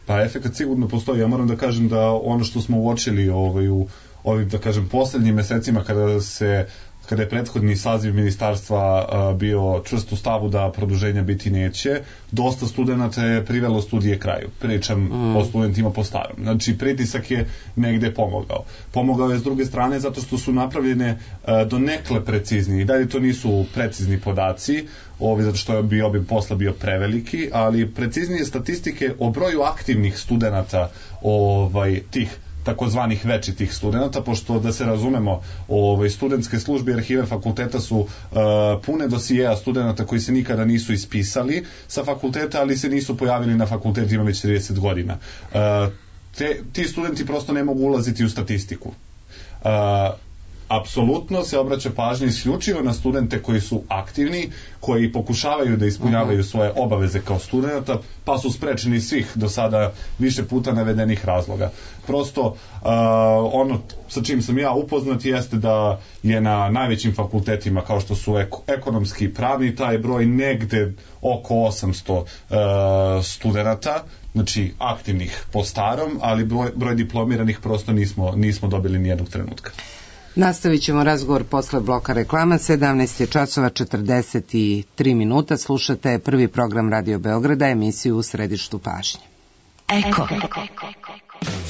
Pa efekat sigurno postoji. Ja moram da kažem da ono što smo uočili ovaj, u ovim, da kažem, poslednjim mesecima kada se kada je prethodni saziv ministarstva a, bio čvrst u stavu da produženja biti neće, dosta studenta je privelo studije kraju. Pričam mm. o studentima po starom. Znači, pritisak je negde pomogao. Pomogao je s druge strane zato što su napravljene a, do nekle preciznije. I dalje to nisu precizni podaci, ovi, zato što bi obim posla bio preveliki, ali preciznije statistike o broju aktivnih studenata ovaj, tih takozvanih večitih studenta, pošto da se razumemo, ovaj, studentske službe i arhive fakulteta su uh, pune dosijeja studenta koji se nikada nisu ispisali sa fakulteta, ali se nisu pojavili na fakultetima već trideset godina. Uh, te, ti studenti prosto ne mogu ulaziti u statistiku. Uh, apsolutno se obraća pažnja isključivo na studente koji su aktivni, koji pokušavaju da ispunjavaju uh-huh. svoje obaveze kao studenta, pa su sprečeni svih do sada više puta navedenih razloga. Prosto uh, ono sa čim sam ja upoznat jeste da je na najvećim fakultetima kao što su ek- ekonomski i pravni taj broj negde oko osamsto uh, studenta, znači aktivnih po starom, ali broj, broj diplomiranih prosto nismo, nismo dobili nijednog trenutka. Nastavit ćemo razgovor posle bloka reklama. sedamnaest je časova četrdeset tri minuta. Slušate prvi program Radio Beograda, emisiju U središtu pažnje. Eko.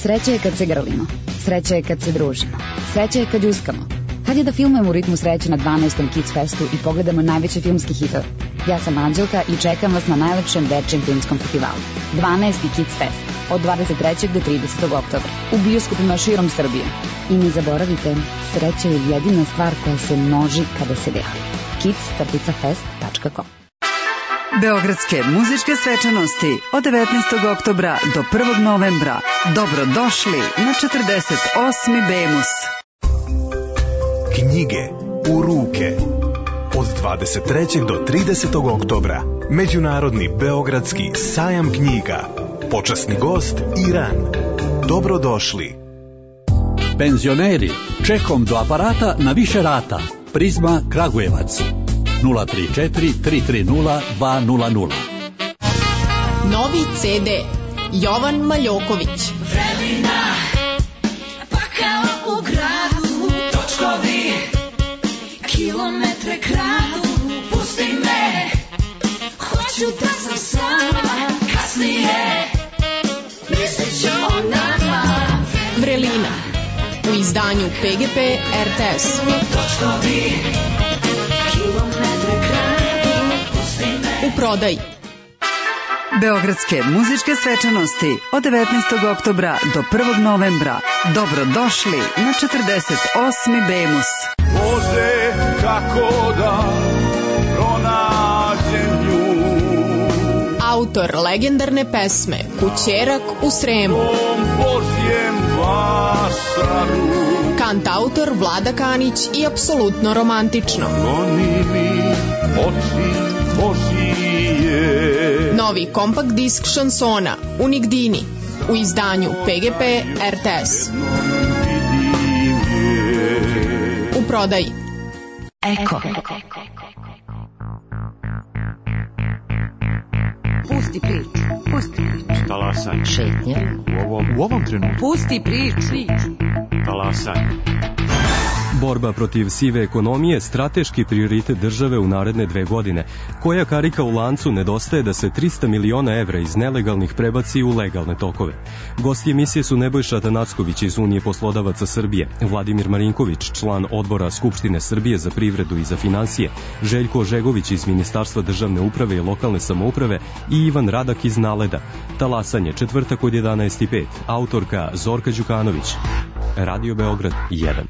Sreća je kad se grlimo. Sreća je kad se družimo. Sreća je kad ljuskamo. Kad je da filmujemo u ritmu sreće na dvanaestom Kids Festu i pogledamo najveće filmski hitove. Ja sam Anđelka i čekam vas na najlepšem dečijem filmskom festivalu. dvanaesti Kids Fest od dvadeset trećeg do tridesetog oktobra u bioskopima širom Srbije. I ne zaboravite, sreća je jedina stvar koja se množi kada se deli. kids tačka fest tačka com Beogradske muzičke svečanosti od devetnaestog oktobra do prvog novembra. Dobrodošli na četrdeset osmi Bemus. Knjige u ruke. Od dvadeset trećeg do tridesetog oktobra. Međunarodni beogradski sajam knjiga. Počasni gost Iran. Dobrodošli. Penzioneri, čekom do aparata na više rata. Prizma Kragujevac. nula tri četiri tri tri nula dva nula nula. Novi ce de Jovan Maljoković. Vremena, pa kao u gradu, točkovi, kilometre kradu, pusti me, hoću da sam sama, kasnije, mislit ću o nama. Vrelina, u izdanju pe ge pe er te es. Točkovi, kilometre kradu, pusti me. U prodaji. Beogradske muzičke svečanosti od devetnaestog oktobra do prvog novembra. Dobrodošli na četrdeset osmi Bemus. Bože, kako da pronađem nju. Autor legendarne pesme Kućerak u Sremu. Božjem vasaru. Kantautor Vlada Kanić i apsolutno romantično. Goni mi oči Božije. Novi kompakt disk šansona Unigdini u izdanju pe ge pe er te es. U prodaji. Eko. Pusti priču. Pusti priču. Talasanje. Šetnja. U ovom, u ovom trenutku. Pusti priču. Talasanje. Borba protiv sive ekonomije strateški prioritet države u naredne dve godine. Koja karika u lancu nedostaje da se trista miliona evra iz nelegalnih prebaci u legalne tokove? Gosti emisije su Nebojša Atanacković iz Unije poslodavaca Srbije, Vladimir Marinković, član odbora Skupštine Srbije za privredu i za finansije, Željko Žegović iz Ministarstva državne uprave i lokalne samouprave i Ivan Radak iz Naleda. Talasanje, četvrtak od jedanaest i pet. Autorka Zorka Đukanović. Radio Beograd jedan.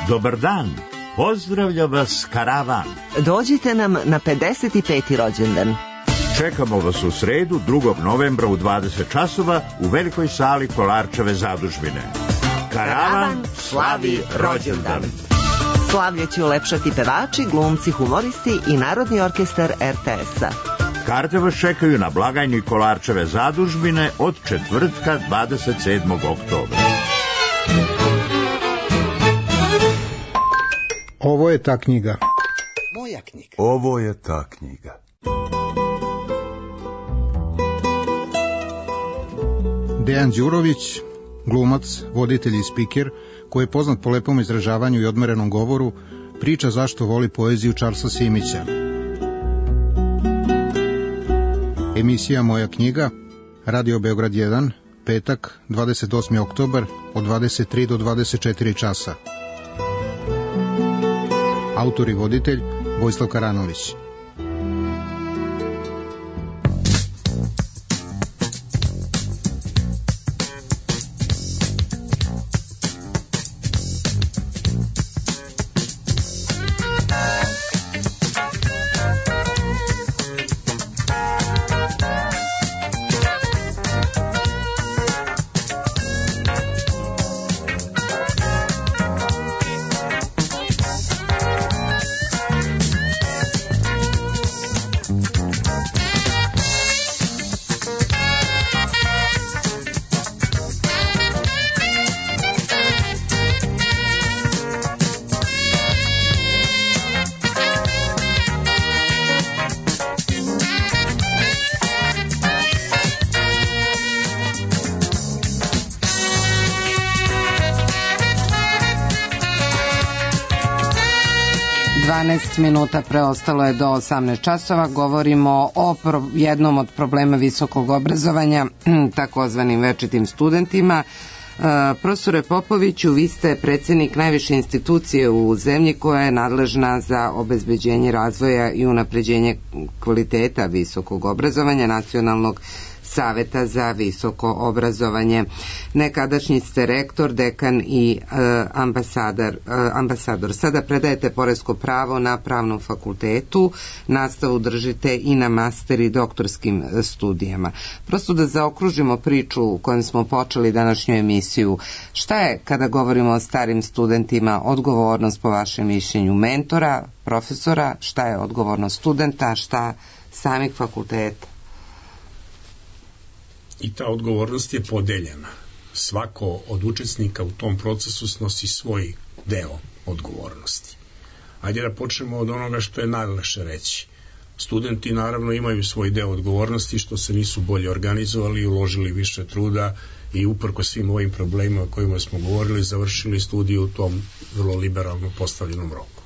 Dobar dan, pozdravlja vas karavan. Dođite nam na pedeset peti rođendan. Čekamo vas u sredu, drugog novembra u dvadeset časova u velikoj sali Kolarčeve zadužbine. Karavan slavi rođendan. Slavlje će ulepšati pevači, glumci, humoristi i Narodni orkestar er te es-a. Karte vas čekaju na blagajni Kolarčeve zadužbine od četvrtka dvadeset sedmog oktobra. Ovo je ta knjiga. Moja knjiga. Ovo je ta knjiga. Dejan Đurović, glumac, voditelj i spiker, koji je poznat po lepom izražavanju i odmerenom govoru, priča zašto voli poeziju Charlesa Simića. Emisija Moja knjiga, Radio Beograd jedan, petak, dvadeset osmi oktobar, od dvadeset tri do dvadeset četiri časa. Autor i voditelj Vojislav Karanović. dvanaest minuta preostalo je do osamnaest časova. Govorimo o pro, jednom od problema visokog obrazovanja, takozvanim večitim studentima. Uh, profesore Popoviću, vi ste predsjednik najviše institucije u zemlji koja je nadležna za obezbeđenje razvoja i unapređenje kvaliteta visokog obrazovanja, Nacionalnog saveta za visoko obrazovanje. Nekadašnji ste rektor, dekan i e, ambasador, e, ambasador. Sada predajete poresko pravo na Pravnom fakultetu, nastavu držite i na master i doktorskim studijama. Prosto da zaokružimo priču u kojom smo počeli današnju emisiju, šta je, kada govorimo o starim studentima, odgovornost po vašem mišljenju mentora, profesora, šta je odgovornost studenta, šta samih fakulteta? I ta odgovornost je podeljena. svako od učesnika u tom procesu snosi svoj deo odgovornosti. Ajde da počnemo od onoga što je najlakše reći. Studenti naravno imaju svoj deo odgovornosti što se nisu bolje organizovali i uložili više truda i uprko svim ovim problemima o kojima smo govorili završili studiju u tom vrlo liberalno postavljenom roku.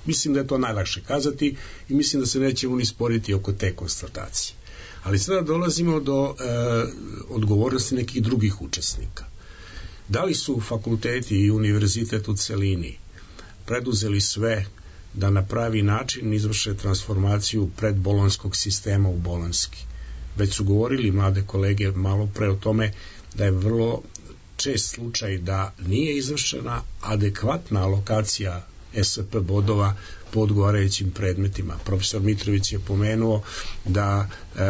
Mislim da je to najlakše kazati i mislim da se nećemo ni sporiti oko te konstatacije. Ali sada dolazimo do e, odgovornosti nekih drugih učesnika. Da li su fakulteti i univerzitet u celini preduzeli sve da na pravi način izvrše transformaciju predbolonjskog sistema u bolonjski? Već su govorili mlade kolege malo pre o tome da je vrlo čest slučaj da nije izvršena adekvatna alokacija S P bodova po odgovarajućim predmetima. Profesor Mitrović je pomenuo da e,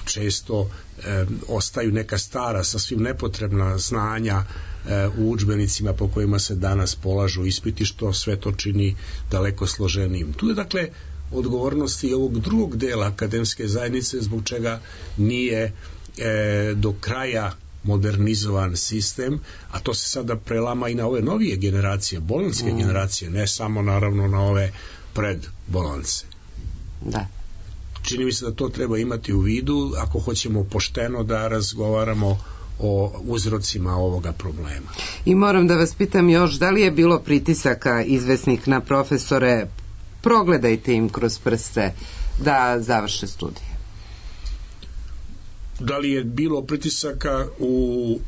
često e, ostaju neka stara, sasvim nepotrebna znanja e, u udžbenicima po kojima se danas polažu ispiti, što sve to čini daleko složenijim. Tu je dakle odgovornosti i ovog drugog dela akademske zajednice zbog čega nije e, do kraja modernizovan sistem, a to se sada prelama i na ove novije generacije, bolonjske mm. generacije, ne samo naravno na ove predbolonjce. Da. Čini mi se da to treba imati u vidu ako hoćemo pošteno da razgovaramo o uzrocima ovoga problema. I moram da vas pitam još, da li je bilo pritisaka izvesnih na profesore, progledajte im kroz prste da završe studije? Da li je bilo pritisaka u,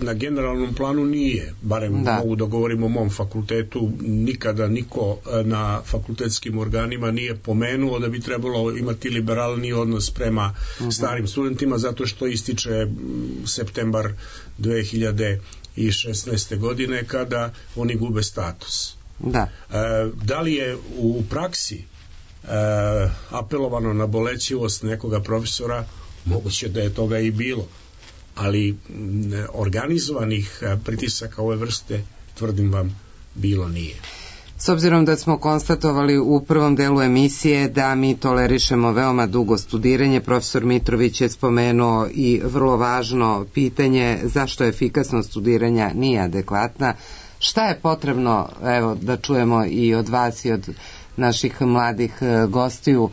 na generalnom planu? Nije, barem da. Mogu da govorim o mom fakultetu, nikada niko na fakultetskim organima nije pomenuo da bi trebalo imati liberalni odnos prema uh-huh. starim studentima, zato što ističe septembar dve hiljade šesnaeste. godine kada oni gube status. Da. E, da li je u praksi e, apelovano na bolećivost nekoga profesora? Moguće da je toga i bilo, ali organizovanih pritisaka ove vrste, tvrdim vam, bilo nije. S obzirom da smo konstatovali u prvom delu emisije da mi tolerišemo veoma dugo studiranje, profesor Mitrović je spomenuo i vrlo važno pitanje zašto efikasnost studiranja nije adekvatna. Šta je potrebno, evo da čujemo i od vas i od naših mladih gostiju,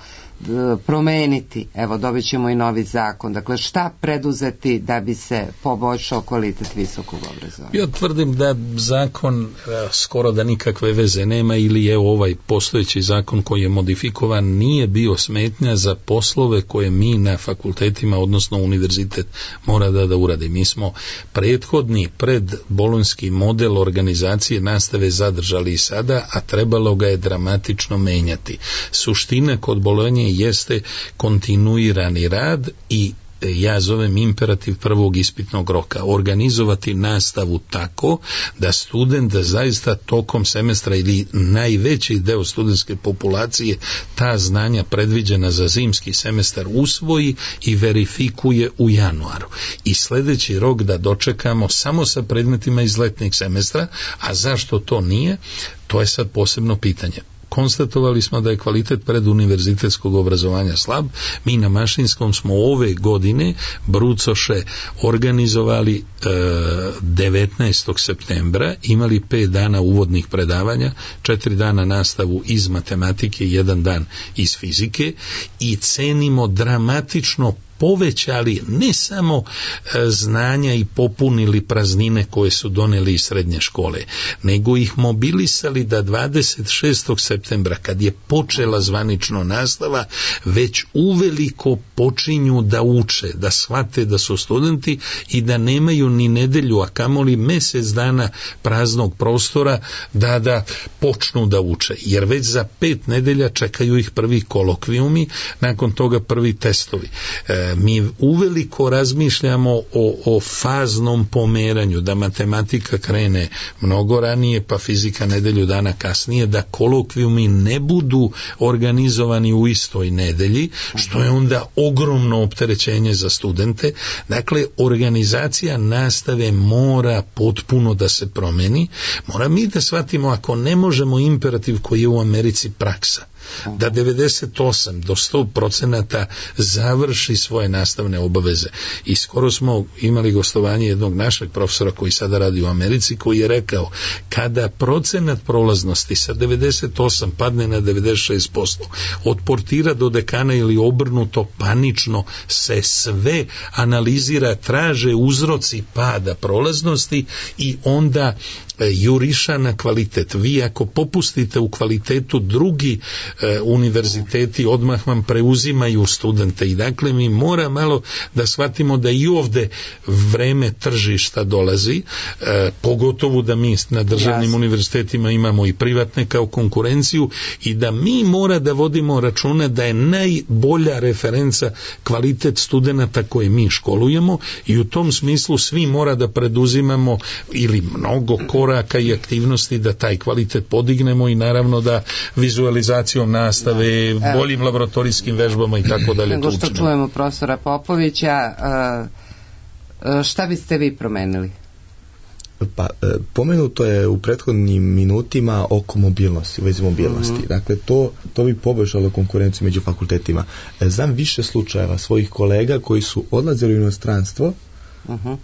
promeniti, evo dobit ćemo i novi zakon, dakle šta preduzeti da bi se poboljšao kvalitet visokog obrazovanja? Ja tvrdim da zakon skoro da nikakve veze nema ili je ovaj postojeći zakon koji je modifikovan nije bio smetnja za poslove koje mi na fakultetima, odnosno univerzitet mora da da uradi. Mi smo prethodni predbolonjski model organizacije nastave zadržali i sada, a trebalo ga je dramatično menjati. Suština kod Bolonje jeste kontinuirani rad i ja zovem imperativ prvog ispitnog roka. Organizovati nastavu tako da student da zaista tokom semestra ili najveći deo studentske populacije ta znanja predviđena za zimski semestar usvoji i verifikuje u januaru. I sledeći rok da dočekamo samo sa predmetima iz letnjeg semestra, a zašto to nije, to je sad posebno pitanje. Konstatovali smo da je kvalitet preduniverzitetskog obrazovanja slab. Mi na Mašinskom smo ove godine brucoše organizovali e, devetnaestog septembra, imali pet dana uvodnih predavanja, četiri dana nastavu iz matematike, jedan dan iz fizike i cenimo dramatično povećali ne samo e, znanja i popunili praznine koje su doneli iz srednje škole, nego ih mobilisali da dvadeset šestog septembra, kad je počela zvanično nastava, već uveliko počinju da uče, da shvate da su studenti i da nemaju ni nedelju, a kamoli mesec dana praznog prostora da da počnu da uče, jer već za pet nedelja čekaju ih prvi kolokvijumi, nakon toga prvi testovi. E, mi uveliko razmišljamo o, o faznom pomeranju, da matematika krene mnogo ranije, pa fizika nedelju dana kasnije, da kolokvijumi ne budu organizovani u istoj nedelji, što je onda ogromno opterećenje za studente. Dakle, organizacija nastave mora potpuno da se promeni. Mora mi da shvatimo, ako ne možemo imperativ koji je u Americi praksa, da devedeset osam do sto procenata završi svoje nastavne obaveze. I skoro smo imali gostovanje jednog našeg profesora koji sada radi u Americi, koji je rekao, kada procenat prolaznosti sa devedeset osam padne na devedeset šest posto, od portira do dekana ili obrnuto, panično se sve analizira, traže uzroci pada prolaznosti i onda juriša na kvalitet. Vi ako popustite u kvalitetu, drugi e, univerziteti odmah vam preuzimaju studente i dakle mi mora malo da shvatimo da i ovde vreme tržišta dolazi, e, pogotovo da mi na državnim Jasne. univerzitetima imamo i privatne kao konkurenciju i da mi mora da vodimo računa da je najbolja referenca kvalitet studenata koje mi školujemo i u tom smislu svi mora da preduzimamo ili mnogo koraka i aktivnosti da taj kvalitet podignemo i naravno da vizualizacijom nastave, da. boljim laboratorijskim vežbama i tako dalje. Nego što čujemo profesora Popovića, šta biste vi promenili? Pa, pomenuto je u prethodnim minutima oko mobilnosti, u vezi mobilnosti. Mm-hmm. Dakle, to, to bi poboljšalo konkurenciju među fakultetima. Znam više slučajeva svojih kolega koji su odlazili u inostranstvo uh-huh.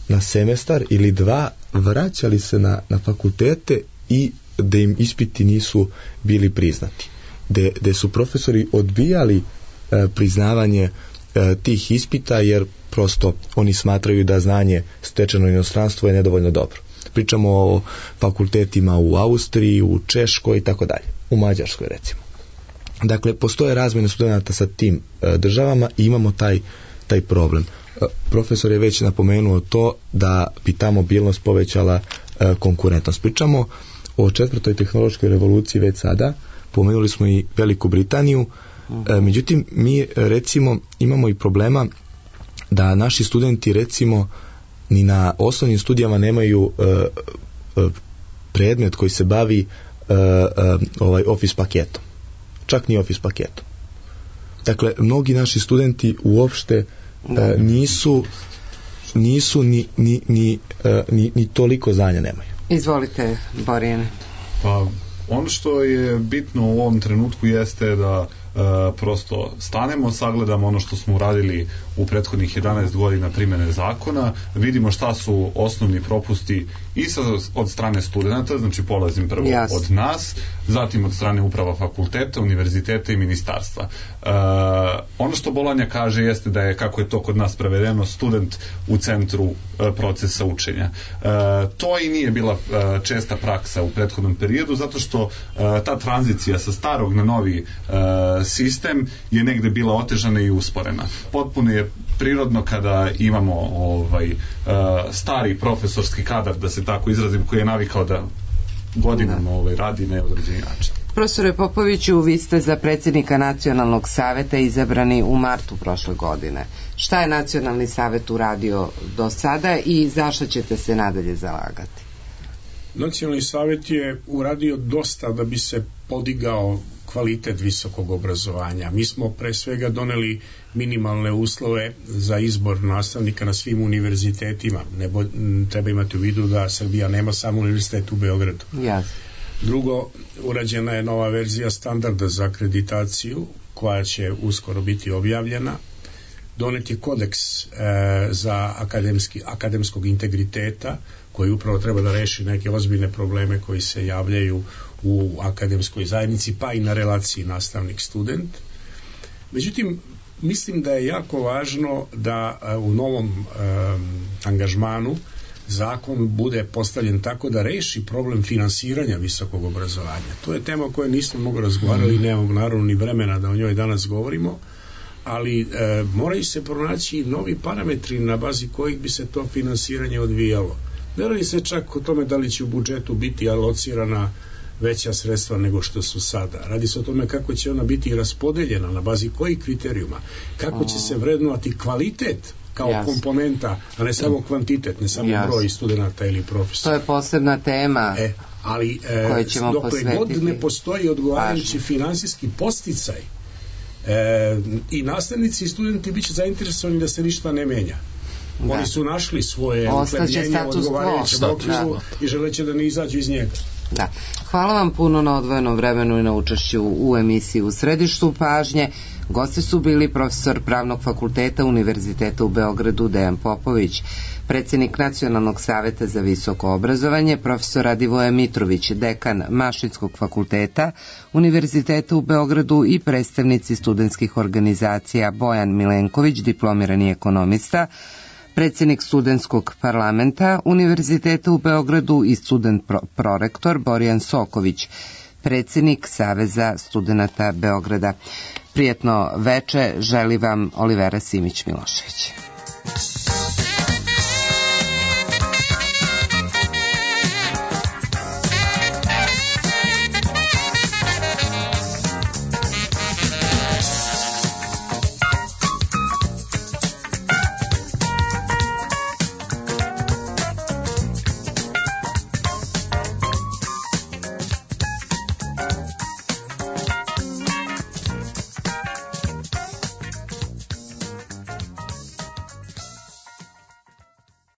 na semestar ili dva, vraćali se na, na fakultete i da im ispiti nisu bili priznati. De, de su profesori odbijali e, priznavanje e, tih ispita jer prosto oni smatraju da znanje stečeno u inostranstvu je nedovoljno dobro. Pričamo o fakultetima u Austriji, u Češkoj i tako dalje, u Mađarskoj recimo. Dakle, postoje razmjene studenata sa tim e, državama i imamo taj, taj problem. E, profesor je već napomenuo to da bi ta mobilnost povećala e, konkurentnost. Pričamo o četvrtoj tehnološkoj revoluciji već sada, pomenuli smo i Veliku Britaniju, e, međutim mi recimo imamo i problema da naši studenti recimo ni na osnovnim studijama nemaju e, e, predmet koji se bavi e, e, ovaj Office paketom. Čak ni Office paketom. Dakle, mnogi naši studenti uopšte e, nisu nisu ni, ni, ni, e, ni, ni toliko znanja nemaju. Izvolite, Borjane. Pa, ono što je bitno u ovom trenutku jeste da E, prosto stanemo, sagledamo ono što smo uradili u prethodnih jedanaest godina primjene zakona, vidimo šta su osnovni propusti i sa, od strane studenta, znači polazim prvo yes. od nas, zatim od strane uprava fakulteta, univerziteta i ministarstva. E, ono što Bolonja kaže jeste da je, kako je to kod nas prevedeno, student u centru e, procesa učenja. E, to i nije bila e, česta praksa u prethodnom periodu, zato što e, ta tranzicija sa starog na novi e, sistem je negde bila otežana i usporena. Potpuno je prirodno kada imamo ovaj uh, stari profesorski kadar, da se tako izrazim, koji je navikao da godinama ovaj, radi na određeni način. Profesore Popoviću, vi ste za predsjednika Nacionalnog saveta izabrani u martu prošle godine. Šta je Nacionalni savet uradio do sada i zašto ćete se nadalje zalagati? Nacionalni savet je uradio dosta da bi se podigao kvalitet visokog obrazovanja. Mi smo pre svega doneli minimalne uslove za izbor nastavnika na svim univerzitetima. Ne bo, treba imati u vidu da Srbija nema samo univerzitet u Beogradu. Yes. Drugo, urađena je nova verzija standarda za akreditaciju koja će uskoro biti objavljena. Donet je kodeks e, za akademski, akademskog integriteta koji upravo treba da reši neke ozbiljne probleme koji se javljaju u akademskoj zajednici, pa i na relaciji nastavnik-student. Međutim, mislim da je jako važno da u novom um, angažmanu zakon bude postavljen tako da reši problem finansiranja visokog obrazovanja. To je tema o kojoj nismo mnogo razgovarali, nemamo naravno ni vremena da o njoj danas govorimo, ali e, moraju se pronaći novi parametri na bazi kojih bi se to finansiranje odvijalo. Ne radi se čak o tome da li će u budžetu biti alocirana veća sredstva nego što su sada. Radi se o tome kako će ona biti raspodeljena, na bazi kojih kriterijuma, kako će se vrednovati kvalitet kao yes. komponenta, a ne samo kvantitet, ne samo yes. broj studenta ili profesora. To je posebna tema e, ali e, dokle god ne postoji odgovarajući finansijski podsticaj, e, i nastavnici i studenti bit će zainteresovani da se ništa ne menja. Da. Oni su našli svoje uhlebljenje odgovarajuće okviru i želeće da ne izađu iz njega. Da. Hvala vam puno na odvojenom vremenu i na učešću u emisiji U središtu pažnje. Gosti su bili profesor Pravnog fakulteta Univerziteta u Beogradu Dejan Popović, predsjednik Nacionalnog saveta za visoko obrazovanje, profesor Radivoje Mitrović, dekan Mašinskog fakulteta Univerziteta u Beogradu i predstavnici studentskih organizacija Bojan Milenković, diplomirani ekonomista, predsjednik studentskog parlamenta Univerziteta u Beogradu i student pro prorektor Borjan Soković, predsjednik Saveza studenata Beograda. Prijetno veče želi vam Olivera Simić Milošević.